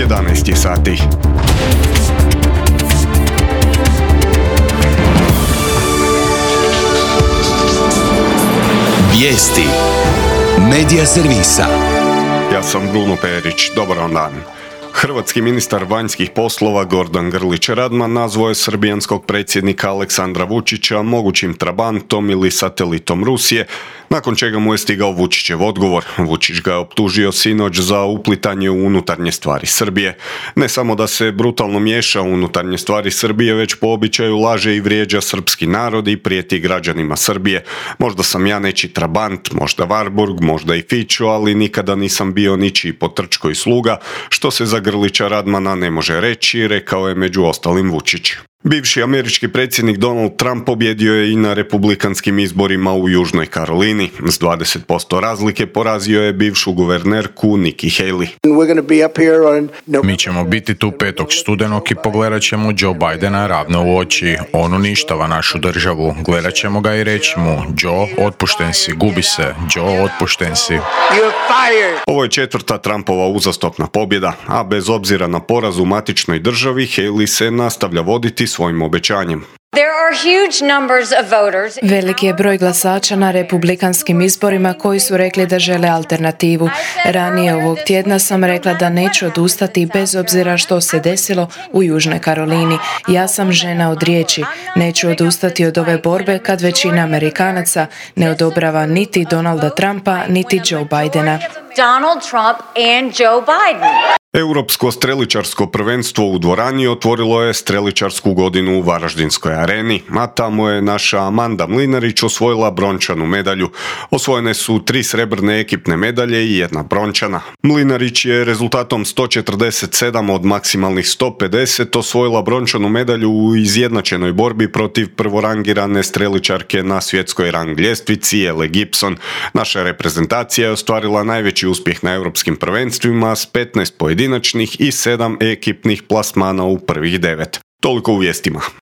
11 sati. Vijesti Medija servisa. Ja sam Bruno Perić, dobar vam dan. Hrvatski ministar vanjskih poslova Gordan Grlić Radman nazvao je srbijanskog predsjednika Aleksandra Vučića mogućim trabantom ili satelitom Rusije, nakon čega mu je stigao Vučićev odgovor. Vučić ga je optužio sinoć za uplitanje u unutarnje stvari Srbije. Ne samo da se brutalno miješa u unutarnje stvari Srbije, već po običaju laže i vrijeđa srpski narod i prijeti građanima Srbije. Možda sam ja nečiji trabant, možda Varburg, možda i Fićo, ali nikada nisam bio ničiji potrčko i sluga, što se za Grlića Radmana ne može reći, rekao je među ostalim Vučić. Bivši američki predsjednik Donald Trump pobjedio je i na republikanskim izborima u Južnoj Karolini. S 20% razlike porazio je bivšu guvernerku Nikki Haley. Mi ćemo biti tu 5. studenog i pogledat ćemo Joe Bidena ravno u oči. On uništava našu državu. Gledat ćemo ga i reći mu: Joe, otpušten si, gubi se. Joe, otpušten si. Ovo je 4. Trumpova uzastopna pobjeda, a bez obzira na poraz u matičnoj državi, Haley se nastavlja voditi svojim obećanjem. Veliki je broj glasača na republikanskim izborima koji su rekli da žele alternativu. Ranije ovog tjedna sam rekla da neću odustati bez obzira što se desilo u Južnoj Karolini. Ja sam žena od riječi. Neću odustati od ove borbe kad većina Amerikanaca ne odobrava niti Donalda Trumpa, niti Joe Bidena. Donald Trump and Joe Biden. Europsko streličarsko prvenstvo u dvorani otvorilo je streličarsku godinu u Varaždinskoj areni, a tamo je naša Amanda Mlinarić osvojila brončanu medalju. Osvojene su 3 srebrne ekipne medalje i 1 brončana. Mlinarić je rezultatom 147 od maksimalnih 150 osvojila brončanu medalju u izjednačenoj borbi protiv prvorangirane streličarke na svjetskoj rang ljestvici Elle Gibson. Naša reprezentacija je ostvarila najveći uspjeh na europskim prvenstvima s 15 pojedinačnih i 7 ekipnih plasmana u prvih 9. Toliko u vijestima.